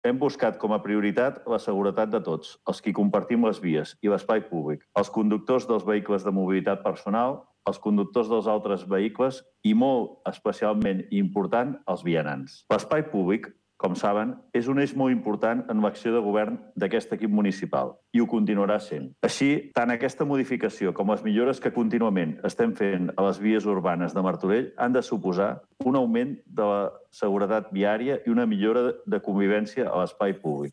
Hem buscat com a prioritat la seguretat de tots, els qui compartim les vies i l'espai públic, els conductors dels vehicles de mobilitat personal, els conductors dels altres vehicles i, molt especialment i important, els vianants. L'espai públic, com saben, és un eix molt important en l'acció de govern d'aquest equip municipal i ho continuarà sent. Així, tant aquesta modificació com les millores que contínuament estem fent a les vies urbanes de Martorell han de suposar un augment de la seguretat viària i una millora de convivència a l'espai públic.